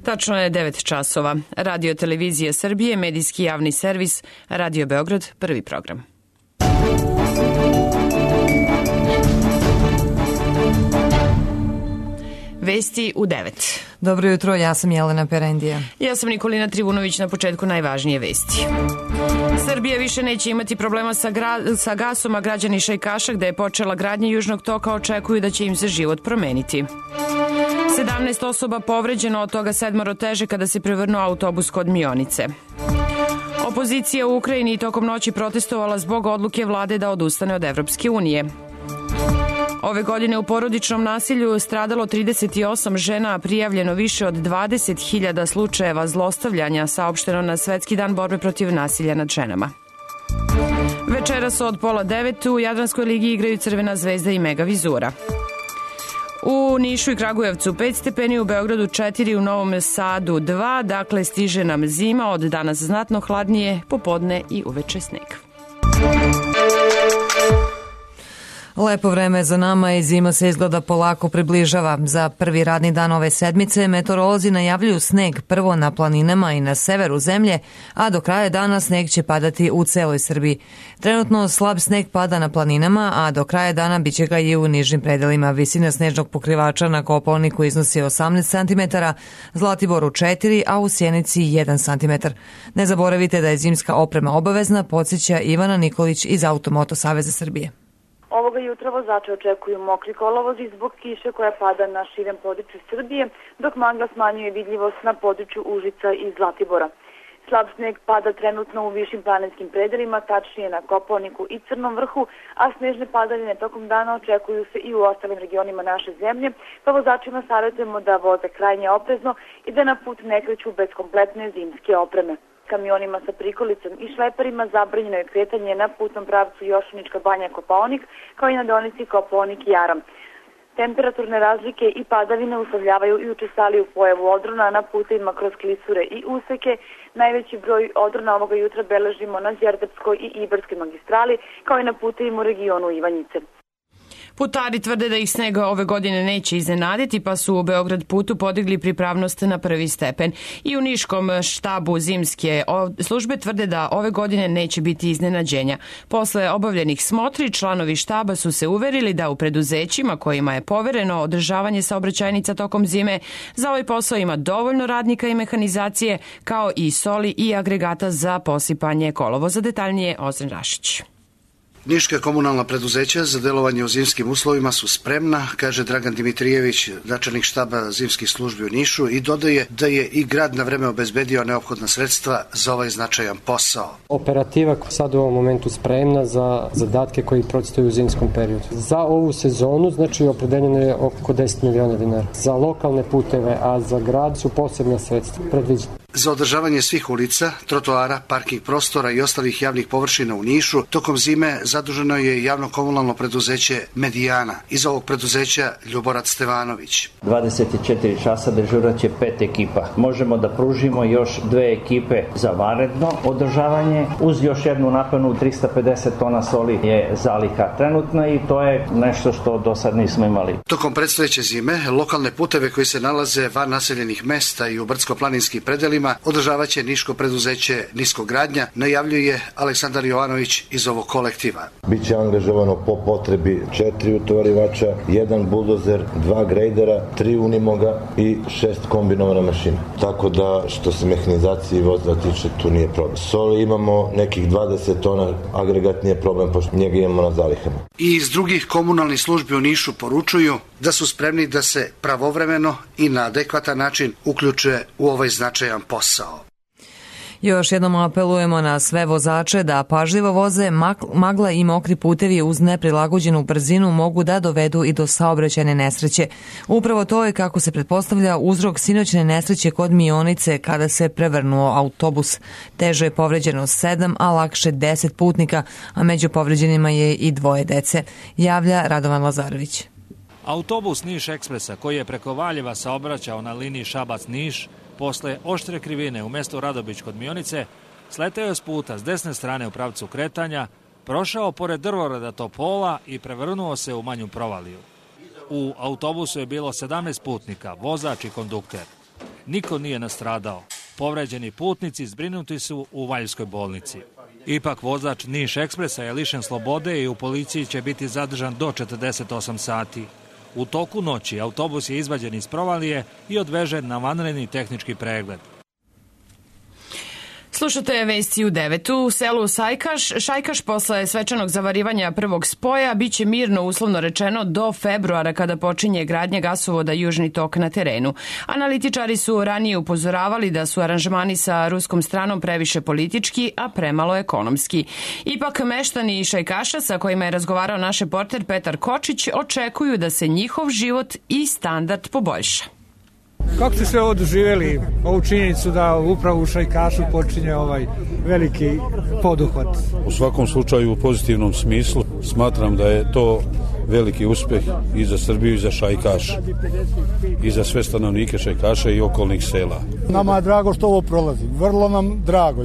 Tačno je 9 časova. Radio Televizija Srbije, medijski javni servis, Radio Beograd, prvi program. Vesti u 9. Dobro jutro, ja sam Jelena Perendija. Ja sam Nikolina Trivunović, na početku najvažnije vesti. Srbija više neće imati problema sa gasom, a građani Šajkaša, gde je počela gradnja Južnog toka, očekuju da će im se život promeniti. 17 osoba povređeno, od toga 7 teže kada se prevrnuo autobus kod Mionice. Opozicija u Ukrajini tokom noći protestovala zbog odluke vlade da odustane od Evropske unije. Ove godine u porodičnom nasilju stradalo 38 žena, a prijavljeno više od 20.000 slučajeva zlostavljanja, saopšteno na Svetski dan borbe protiv nasilja nad ženama. Večeras od 8:30 u Jadranskoj ligi igraju Crvena zvezda i Mega Vizura. U Nišu i Kragujevcu 5 stepeni, u Beogradu 4, u Novom Sadu 2, dakle stiže nam zima, od danas znatno hladnije, popodne i uveče sneg. Lepo vreme za nama i zima se izgleda polako približava. Za prvi radni dan ove sedmice meteorolozi najavljuju sneg prvo na planinama i na severu zemlje, a do kraja dana sneg će padati u celoj Srbiji. Trenutno slab sneg pada na planinama, a do kraja dana biće ga i u nižim predelima. Visina snežnog pokrivača na Kopaoniku iznosi 18 cm, Zlatiboru 4, a u Sjenici 1 cm. Ne zaboravite da je zimska oprema obavezna, podsjeća Ivana Nikolić iz Automoto Saveza Srbije. Ovoga jutra vozače očekuju mokri kolovozi zbog kiše koja pada na širem području Srbije, dok magla smanjuje vidljivost na području Užica i Zlatibora. Slab sneg pada trenutno u višim planinskim predelima, tačnije na Kopaoniku i Crnom vrhu, a snežne padavine tokom dana očekuju se i u ostalim regionima naše zemlje, pa vozačima savjetujemo da voze krajnje oprezno i da na put ne kreću bez kompletne zimske opreme. Kamionima sa prikolicom i šleperima zabranjeno je kretanje na putnom pravcu Jošanička banja Kopaonik, kao i na deonici Kopaonik-Jaram. Temperaturne razlike i padavine uslovljavaju i učestaliju pojavu odrona na putevima kroz klisure i useke. Najveći broj odrona ovoga jutra beležimo na Đerdapskoj i Ibarskoj magistrali, kao i na putevima u regionu Ivanjice. Putari tvrde da ih snega ove godine neće iznenaditi, pa su u Beograd putu podigli pripravnost na 1. stepen. I u Niškom štabu zimske službe tvrde da ove godine neće biti iznenađenja. Posle obavljenih smotri, članovi štaba su se uverili da u preduzećima kojima je povereno održavanje saobraćajnica tokom zime, za ovaj posao ima dovoljno radnika i mehanizacije, kao i soli i agregata za posipanje kolovoza. Detaljnije Ozren Rašić. Niška komunalna preduzeća za delovanje u zimskim uslovima su spremna, kaže Dragan Dimitrijević, načelnik štaba zimskih službi u Nišu, i dodaje da je i grad na vreme obezbedio neophodna sredstva za ovaj značajan posao. Operativa sad u ovom momentu spremna za zadatke koji predstoje u zimskom periodu. Za ovu sezonu, znači, opredeljeno je oko 10 miliona dinara. Za lokalne puteve, a za grad su posebna sredstva predviđena. Za održavanje svih ulica, trotoara, parking prostora i ostalih javnih površina u Nišu tokom zime zaduženo je javno komunalno preduzeće Medijana. Iz ovog preduzeća Ljuborac Stevanović. 24 časa dežuraće 5 ekipa. Možemo da pružimo još 2 ekipe za vanredno održavanje. Uz još jednu napanu 350 tona soli je zaliha trenutna i to je nešto što do sad nismo imali. Tokom predstojeće zime, lokalne puteve koji se nalaze van naseljenih mesta i u brdsko-planinskim predelima održavaće niško preduzeće Niskogradnja, najavljuje Aleksandar Jovanović iz ovog kolektiva. Biće angažovano po potrebi 4 utovarivača, 1 buldozer, 2 grejdera, 3 unimoga i 6 kombinovana mašina. Tako da što se mehanizacije i vozila tiče, tu nije problem. Soli imamo nekih 20 tona, agregat nije problem, pošto njega imamo na zalihama. I iz drugih komunalnih službi u Nišu poručuju da su spremni da se pravovremeno i na adekvatan način uključe u ovaj značajan posao. Još jednom apelujemo na sve vozače da pažljivo voze. Magla i mokri putevi uz neprilagođenu brzinu mogu da dovedu i do saobraćajne nesreće. Upravo to je, kako se pretpostavlja, uzrok sinoćne nesreće kod Mionice kada se prevrnuo autobus. Teže je povređeno 7, a lakše 10 putnika, a među povređenima je i 2 dece, javlja Radovan Lazarević. Autobus Niš Ekspresa, koji je preko Valjeva saobraćao na liniji Šabac-Niš, posle oštre krivine u mestu Radobić kod Mionice, sleteo je s puta s desne strane u pravcu kretanja, prošao pored drvoreda Topola i prevrnuo se u manju provaliju. U autobusu je bilo 17 putnika, vozač i kondukter. Niko nije nastradao. Povređeni putnici zbrinuti su u Valjskoj bolnici. Ipak vozač Niš ekspresa je lišen slobode i u policiji će biti zadržan do 48 sati. U toku noći autobus je izvađen iz provalije i odvežen na vanredni tehnički pregled. Slušate vesti u 9. U selu Šajkaš posle svečanog zavarivanja prvog spoja biće mirno, uslovno rečeno, do februara kada počinje gradnja gasovoda Južni tok na terenu. Analitičari su ranije upozoravali da su aranžmani sa ruskom stranom previše politički, a premalo ekonomski. Ipak meštani Šajkaša, sa kojima je razgovarao naš reporter Petar Kočić, očekuju da se njihov život i standard poboljša. Kako ste sve ovo doživjeli, ovu činjenicu da upravo u Šajkašu počinje ovaj veliki poduhvat? U svakom slučaju u pozitivnom smislu smatram da je to veliki uspeh i za Srbiju i za Šajkaš i za sve stanovnike Šajkaša i okolnih sela. Nama je drago što ovo prolazi, vrlo nam drago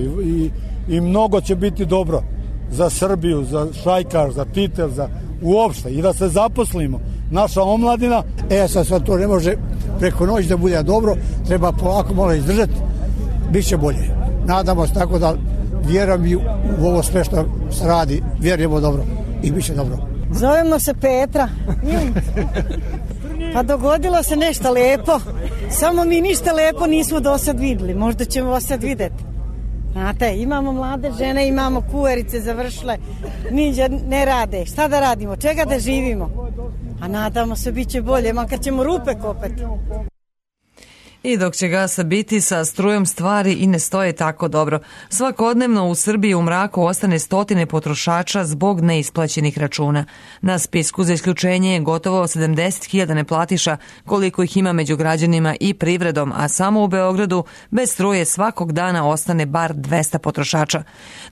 i mnogo će biti dobro za Srbiju, za Šajkaš, za Titel, za uopšte i da se zaposlimo. Naša omladina. Sad to ne može preko noći da bude dobro, treba polako malo izdržati, bit će bolje. Nadamo se tako da vjerujem i u ovo sve što se radi, vjerujemo dobro i bit će dobro. Zovemo se Petra. Pa dogodilo se nešto lepo, samo mi ništa lepo nismo do sad vidjeli, možda ćemo vas sad vidjeti. Znate, imamo mlade žene, imamo kuverice završile, niđe ne rade. Šta da radimo, čega da živimo? A nadamo se bit će bolje, makar ćemo rupe kopati. I dok će gasa biti, sa strujom stvari i ne stoje tako dobro. Svakodnevno u Srbiji u mraku ostane stotine potrošača zbog neisplaćenih računa. Na spisku za isključenje je gotovo 70.000 neplatiša, koliko ih ima među građanima i privredom, a samo u Beogradu bez struje svakog dana ostane bar 200 potrošača.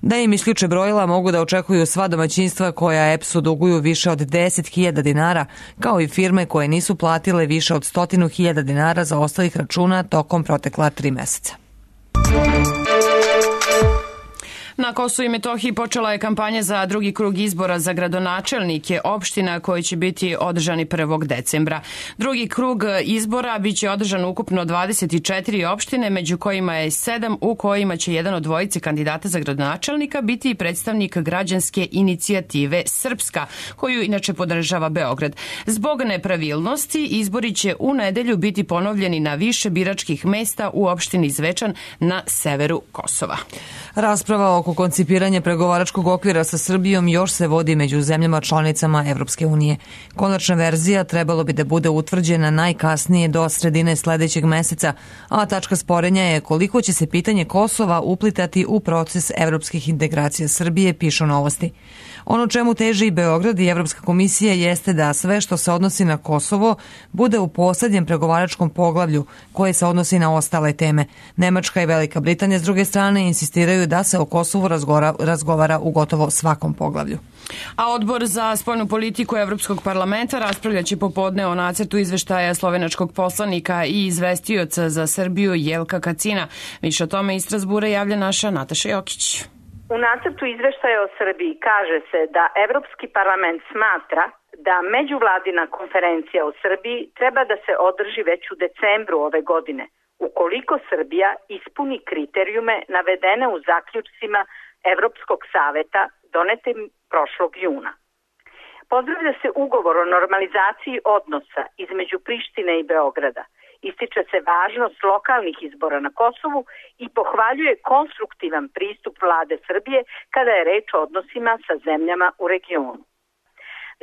Da im isključe brojila mogu da očekuju sva domaćinstva koja EPS-u duguju više od 10.000 dinara, kao i firme koje nisu platile više od 100.000 dinara za ostalih računa tokom protekla 3 meseca. Na Kosovu i Metohiji počela je kampanja za drugi krug izbora za gradonačelnike opština koji će biti održani 1. decembra. Drugi krug izbora biće održan ukupno 24 opštine, među kojima je 7 u kojima će jedan od dvojice kandidata za gradonačelnika biti i predstavnik građanske inicijative Srpska, koju inače podržava Beograd. Zbog nepravilnosti izbori će u nedelju biti ponovljeni na više biračkih mesta u opštini Zvečan na severu Kosova. Rasprava oko koncipiranja pregovaračkog okvira sa Srbijom još se vodi među zemljama članicama Evropske unije. Konačna verzija trebalo bi da bude utvrđena najkasnije do sredine sledećeg meseca, a tačka sporenja je koliko će se pitanje Kosova uplitati u proces evropskih integracija Srbije, pišu Novosti. Ono čemu teži i Beograd i Evropska komisija jeste da sve što se odnosi na Kosovo bude u poslednjem pregovaračkom poglavlju koje se odnosi na ostale teme. Nemačka i Velika Britanija s druge strane insistiraju da se o Kosovu razgovara u gotovo svakom poglavlju. A Odbor za spoljnu politiku Evropskog parlamenta raspravljaće popodne o nacrtu izveštaja slovenačkog poslanika i izvestioca za Srbiju Jelka Kacina. Više o tome iz Strasbura javlja naša Nataša Jokić. U nacrtu izveštaja o Srbiji kaže se da Evropski parlament smatra da međuvladina konferencija o Srbiji treba da se održi već u decembru ove godine, ukoliko Srbija ispuni kriterijume navedene u zaključcima Evropskog saveta donetim prošlog juna. Pozdravlja se ugovor o normalizaciji odnosa između Prištine i Beograda. Ističe se važnost lokalnih izbora na Kosovu i pohvaljuje konstruktivan pristup vlade Srbije kada je reč o odnosima sa zemljama u regionu.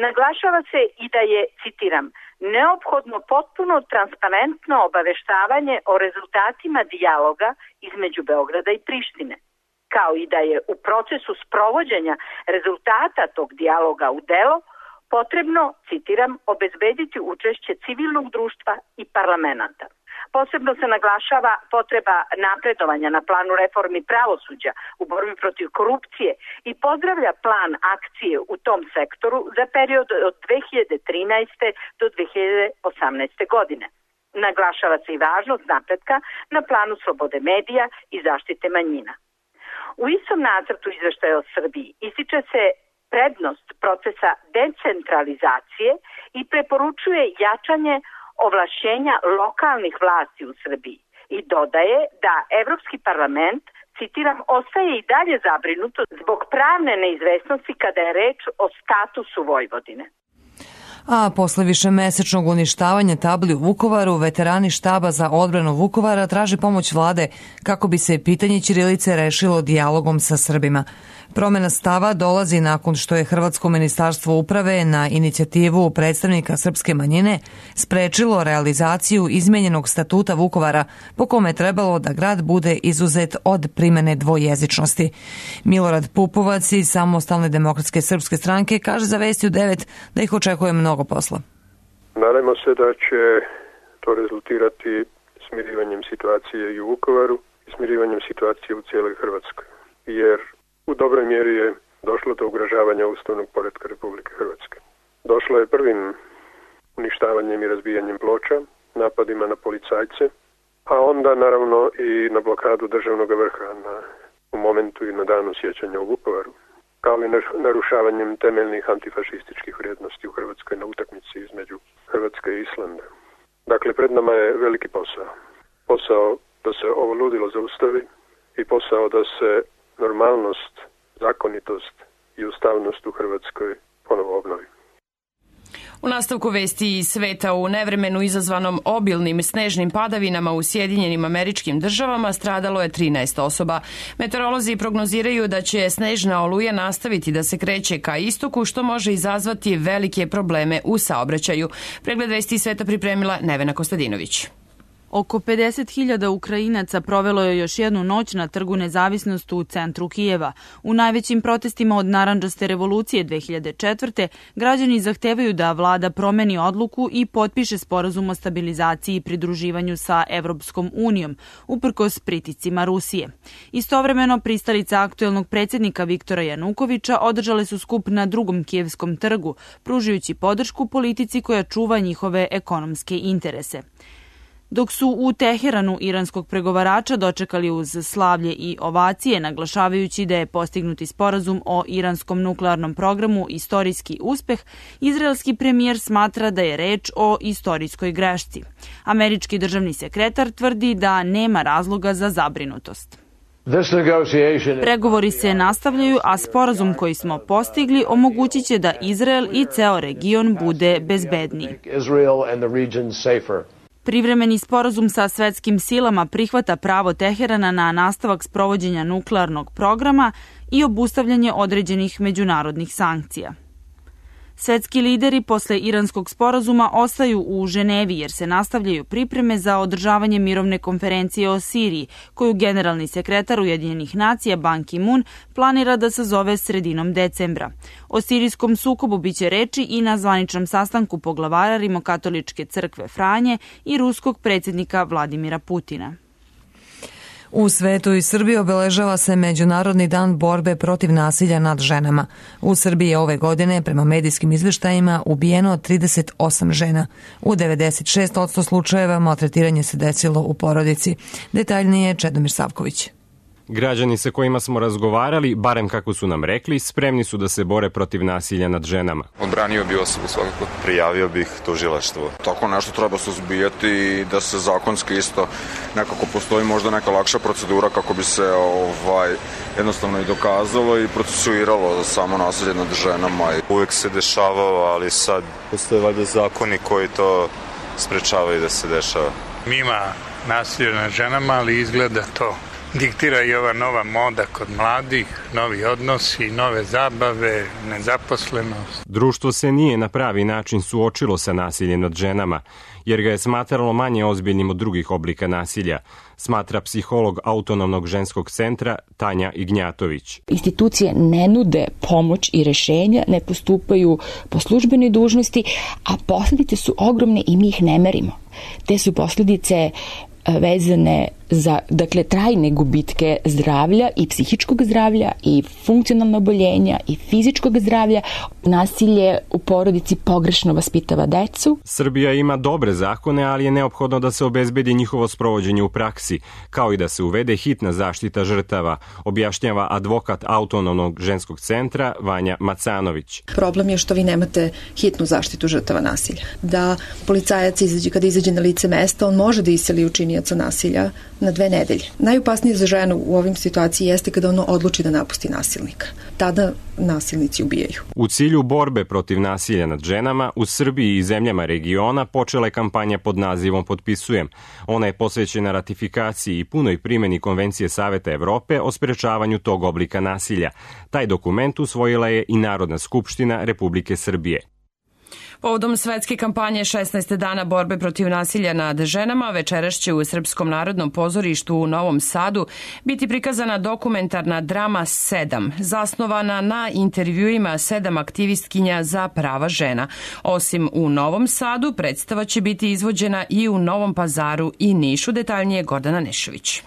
Naglašava se i da je, citiram, neophodno potpuno transparentno obaveštavanje o rezultatima dijaloga između Beograda i Prištine, kao i da je u procesu sprovođenja rezultata tog dijaloga u delo potrebno, citiram, obezbediti učešće civilnog društva i parlamenta. Posebno se naglašava potreba napredovanja na planu reformi pravosuđa u borbi protiv korupcije i pozdravlja plan akcije u tom sektoru za period od 2013. do 2018. godine. Naglašava se i važnost napretka na planu slobode medija i zaštite manjina. U istom nacrtu izveštaja o Srbiji ističe se prednost procesa decentralizacije i preporučuje jačanje ovlašćenja lokalnih vlasti u Srbiji, I dodaje da Evropski parlament, citiram, ostaje i dalje zabrinuto zbog pravne neizvesnosti kada je reč o statusu Vojvodine. A posle višemesečnog uništavanja tabli u Vukovaru, veterani štaba za odbranu Vukovara traže pomoć vlade kako bi se pitanje ćirilice rešilo dijalogom sa Srbima. Promena stava dolazi nakon što je Hrvatsko ministarstvo uprave na inicijativu predstavnika srpske manjine sprečilo realizaciju izmenjenog statuta Vukovara po kome je trebalo da grad bude izuzet od primene dvojezičnosti. Milorad Pupovac iz Samostalne demokratske srpske stranke kaže za Vesti u 9 da ih očekuje mnogo posla. Nadajmo se da će to rezultirati smirivanjem situacije i u Vukovaru i smirivanjem situacije u cijeloj Hrvatskoj, jer u dobroj mjeri je došlo do ugrožavanja ustavnog poretka Republike Hrvatske. Došlo je prvim uništavanjem i razbijanjem ploča, napadima na policajce, a onda naravno i na blokadu državnog vrha u momentu i na danu sjećanja u Vukovaru, kao i narušavanjem temeljnih antifašističkih vrijednosti u Hrvatskoj na utakmici između Hrvatske i Islanda. Dakle, pred nama je veliki posao. Posao da se ovo ludilo zaustavi i posao da se normalnost, zakonitost i ustavnost u Hrvatskoj ponovo obnovi. U nastavku vesti iz sveta, u nevremenu izazvanom obilnim snežnim padavinama u Sjedinjenim Američkim Državama stradalo je 13 osoba. Meteorolozi prognoziraju da će snežna oluja nastaviti da se kreće ka istoku, što može izazvati velike probleme u saobraćaju. Pregled vesti iz sveta pripremila Nevena Kostadinović. Oko 50.000 Ukrajinaca provelo je još jednu noć na Trgu Nezavisnosti u centru Kijeva. U najvećim protestima od Narandžaste revolucije 2004. građani zahtevaju da vlada promeni odluku i potpiše sporazum o stabilizaciji i pridruživanju sa Evropskom unijom, uprkos pritiscima Rusije. Istovremeno, pristalice aktuelnog predsjednika Viktora Janukovića održale su skup na drugom kijevskom trgu, pružajući podršku politici koja čuva njihove ekonomske interese. Dok su u Teheranu iranskog pregovarača dočekali uz slavlje i ovacije, naglašavajući da je postignuti sporazum o iranskom nuklearnom programu istorijski uspeh, izraelski premijer smatra da je reč o istorijskoj grešci. Američki državni sekretar tvrdi da nema razloga za zabrinutost. Pregovori se nastavljaju, a sporazum koji smo postigli omogućit će da Izrael i ceo region bude bezbedniji. Privremeni sporazum sa svetskim silama prihvata pravo Teherana na nastavak sprovođenja nuklearnog programa i obustavljanje određenih međunarodnih sankcija. Svetski lideri posle iranskog sporazuma ostaju u Ženevi jer se nastavljaju pripreme za održavanje mirovne konferencije o Siriji, koju generalni sekretar Ujedinjenih nacija Ban Ki-moon planira da sazove sredinom decembra. O sirijskom sukobu biće reči i na zvaničnom sastanku poglavara Rimokatoličke crkve Franje i ruskog predsjednika Vladimira Putina. U svetu i Srbiji obeležava se Međunarodni dan borbe protiv nasilja nad ženama. U Srbiji je ove godine, prema medijskim izveštajima, ubijeno 38 žena. U 96% slučajeva maltretiranje se desilo u porodici. Detaljnije Čedomir Savković. Građani sa kojima smo razgovarali, barem kako su nam rekli, spremni su da se bore protiv nasilja nad ženama. Odbranio bi osobu svakako. Prijavio bih tužilaštvo. Tako nešto treba suzbijati i da se zakonski isto nekako postoji možda neka lakša procedura kako bi se jednostavno i dokazalo i procesuiralo samo nasilje nad ženama. Uvijek se dešavalo, ali sad postoje valjda zakoni koji to sprečavaju da se dešava. Ima nasilje nad ženama, ali izgleda to diktira i ova nova moda kod mladih, novi odnosi, nove zabave, nezaposlenost. Društvo se nije na pravi način suočilo sa nasiljem nad ženama, jer ga je smatralo manje ozbiljnim od drugih oblika nasilja, smatra psiholog Autonomnog ženskog centra Tanja Ignjatović. Institucije ne nude pomoć i rešenja, ne postupaju po službenoj dužnosti, a posljedice su ogromne i mi ih ne merimo. Te su posljedice vezane za, trajne gubitke zdravlja i psihičkog zdravlja i funkcionalna oboljenja i fizičkog zdravlja. Nasilje u porodici pogrešno vaspitava decu. Srbija ima dobre zakone, ali je neophodno da se obezbedi njihovo sprovođenje u praksi, kao i da se uvede hitna zaštita žrtava, objašnjava advokat Autonomnog ženskog centra Vanja Macanović. Problem je što vi nemate hitnu zaštitu žrtava nasilja. Da policajac kada izađe na lice mesta, on može da iseli učinioca počinioca nasilja na 2 nedelje. Najopasnije za ženu u ovim situaciji jeste kada ono odluči da napusti nasilnika. Tada nasilnici ubijaju. U cilju borbe protiv nasilja nad ženama, u Srbiji i zemljama regiona počela je kampanja pod nazivom Potpisujem. Ona je posvećena ratifikaciji i punoj primjeni Konvencije Saveta Evrope o sprečavanju tog oblika nasilja. Taj dokument usvojila je i Narodna skupština Republike Srbije. Povodom svetske kampanje 16 dana borbe protiv nasilja nad ženama, večeras će u Srpskom narodnom pozorištu u Novom Sadu biti prikazana dokumentarna drama 7, zasnovana na intervjuima 7 aktivistkinja za prava žena. Osim u Novom Sadu, predstava će biti izvođena i u Novom Pazaru i Nišu, detaljnije Gordana Nešović.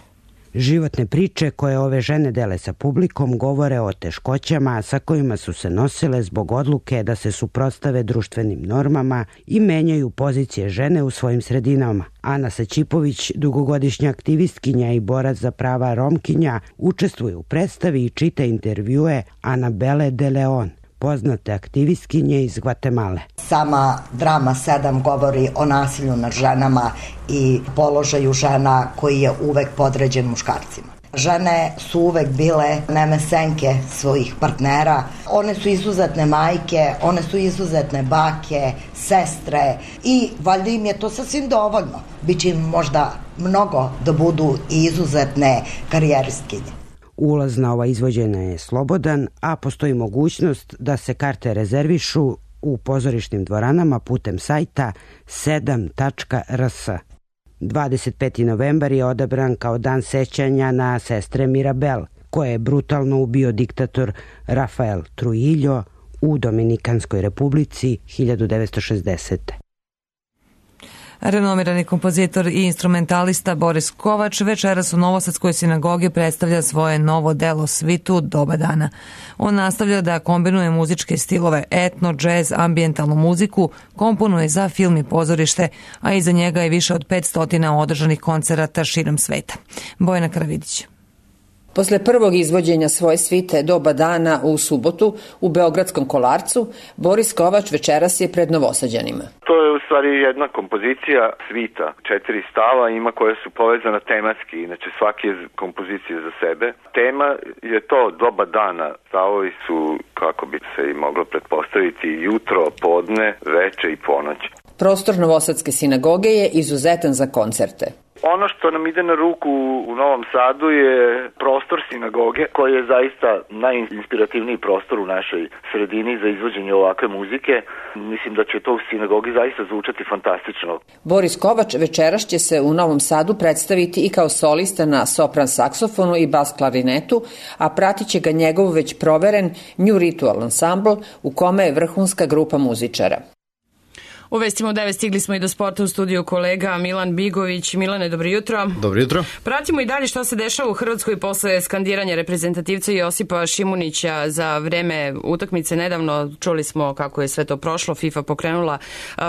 Životne priče koje ove žene dele sa publikom govore o teškoćama sa kojima su se nosile zbog odluke da se suprotstave društvenim normama i menjaju pozicije žene u svojim sredinama. Ana Saćipović, dugogodišnja aktivistkinja i borac za prava Romkinja, učestvuje u predstavi i čita intervjue Anabele de Leon, poznate aktivistkinje iz Gvatemale. Sama drama 7 govori o nasilju nad ženama i položaju žena koji je uvek podređen muškarcima. Žene su uvek bile nemesenke svojih partnera, one su izuzetne majke, one su izuzetne bake, sestre i valjda im je to sasvim dovoljno. Biće im možda mnogo da budu i izuzetne karijeristkinje. Ulaz na ova izvođenja je slobodan, a postoji mogućnost da se karte rezervišu u pozorišnim dvoranama putem sajta 7.rs. 25. novembar je odabran kao dan sećanja na sestre Mirabel, koje je brutalno ubio diktator Rafael Trujillo u Dominikanskoj republici 1960. Renomirani kompozitor i instrumentalista Boris Kovač večeras u Novosadskoj sinagogi predstavlja svoje novo delo Svitu Doba dana. On nastavlja da kombinuje muzičke stilove etno, džez, ambijentalnu muziku, komponuje za film i pozorište, a iza njega je više od 500 održanih koncerata širom sveta. Bojana Karavidić. Posle prvog izvođenja svoje svite Doba dana u subotu u Beogradskom Kolarcu, Boris Kovač večeras je pred Novosađanima. To je u stvari jedna kompozicija svita, 4 stava ima koje su povezana tematski, inače svaki je kompozicija za sebe. Tema je to Doba dana, stavovi su, kako bi se i moglo pretpostaviti, jutro, podne, veče i ponoć. Prostor Novosadske sinagoge je izuzetan za koncerte. Ono što nam ide na ruku u Novom Sadu je prostor sinagoge koji je zaista najinspirativniji prostor u našoj sredini za izvođenje ovakve muzike. Mislim da će to u sinagogi zaista zvučati fantastično. Boris Kovač večeras će se u Novom Sadu predstaviti i kao solista na sopran saksofonu i bas klarinetu, a pratit će ga njegov već proveren New Ritual Ensemble u kome je vrhunska grupa muzičara. U vestima u 9 stigli smo i do sporta, u studiju kolega Milan Bigović. Milane, dobro jutro. Dobro jutro. Pratimo i dalje što se dešava u Hrvatskoj posle skandiranja reprezentativca Josipa Šimunića za vreme utakmice. Nedavno čuli smo kako je sve to prošlo, FIFA pokrenula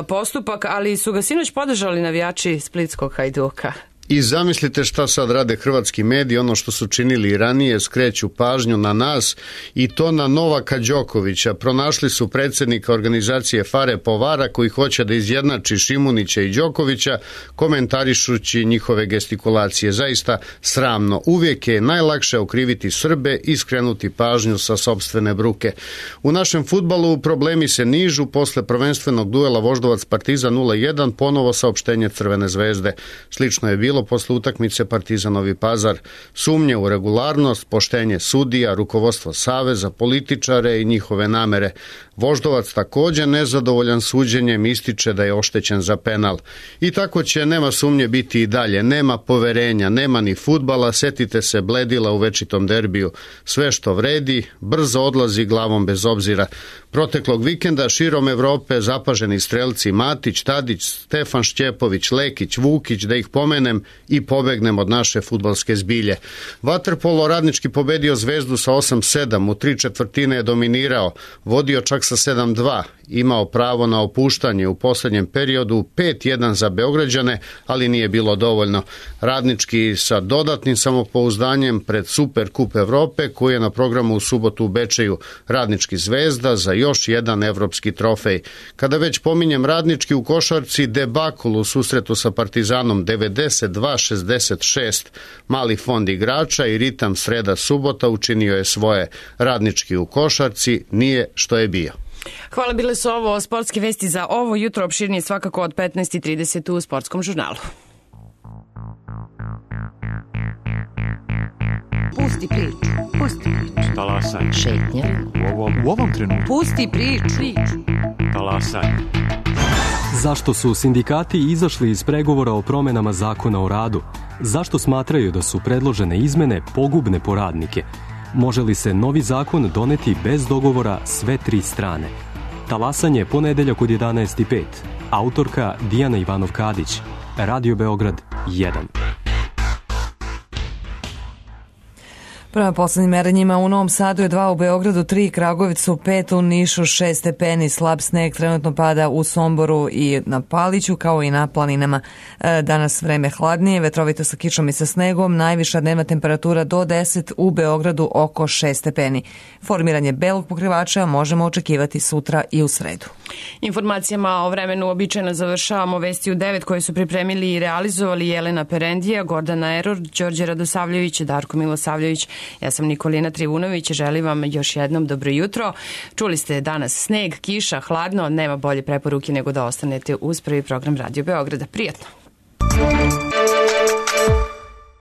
postupak, ali su ga sinoć podržali navijači splitskog Hajduka. I zamislite šta sad rade hrvatski mediji, ono što su činili i ranije, skreću pažnju na nas i to na Novaka Đokovića. Pronašli su predsjednika organizacije Fare Povara koji hoće da izjednači Šimunića i Đokovića, komentarišući njihove gestikulacije. Zaista sramno. Uvijek je najlakše okriviti Srbe i skrenuti pažnju sa sopstvene bruke. U našem fudbalu problemi se nižu posle prvenstvenog duela Voždovac Partizan 0-1, ponovo saopštenje Crvene zvezde. Slično je bilo posle utakmice Partizan Novi Pazar. Sumnje u regularnost, poštenje sudija, rukovodstvo saveza, političare i njihove namere. Voždovac također nezadovoljan suđenjem ističe da je oštećen za penal. I tako će, nema sumnje, biti i dalje. Nema poverenja, nema ni fudbala, setite se Bledila u večitom derbiju. Sve što vredi, brzo odlazi glavom bez obzira. Proteklog vikenda širom Evrope zapaženi strelci Matić, Tadić, Stefan Šćepović, Lekić, Vukić, da ih pomenem i pobegnem od naše fudbalske zbilje. Vaterpolo Radnički pobedio Zvezdu sa 8-7, u 3/4 je dominirao, vodio čak sa 7-2, imao pravo na opuštanje u posljednjem periodu, 5-1 za Beograđane, ali nije bilo dovoljno. Radnički sa dodatnim samopouzdanjem pred Super Kup Evrope koji je na programu u subotu u Bečeju. Radnički Zvezda za još jedan evropski trofej. Kada već pominjem Radnički, u košarci debakl u susretu sa Partizanom 99 62-66. Mali fond igrača i ritam sreda-subota učinio je svoje. Radnički u košarci nije što je bio. Hvala, bile su ovo sportske vesti za ovo jutro, opširnije svakako od 15:30 u Sportskom žurnalu. Pusti priču. Pusti priču. Talasaj. Šetnja. U ovom trenutku. Pusti priču. Talasaj. Zašto su sindikati izašli iz pregovora o promenama zakona o radu? Zašto smatraju da su predložene izmene pogubne po radnike? Može li se novi zakon doneti bez dogovora sve tri strane? Talasanje ponedeljak od 11:05. Autorka Dijana Ivanov-Kadić. Radio Beograd 1. Prema poslednjim merenjima u Novom Sadu je 2, u Beogradu 3, Kragujevcu 5, u Nišu 6 stepeni, slab sneg trenutno pada u Somboru i na Paliću kao i na planinama. Danas vreme hladnije, vetrovito sa kišom i sa snegom, najviša dnevna temperatura do 10, u Beogradu oko 6 stepeni. Formiranje belog pokrivača možemo očekivati sutra i u sredu. Informacijama o vremenu običajno završavamo vesti u 9 koje su pripremili i realizovali Jelena Perendija, Gordana Eror, Đorđe Radosavljević, Darko Milosavljević. Ja sam Nikolina Trivunović, želim vam još jednom dobro jutro. Čuli ste danas sneg, kiša, hladno, nema bolje preporuke nego da ostanete uz prvi program Radio Beograda. Prijatno!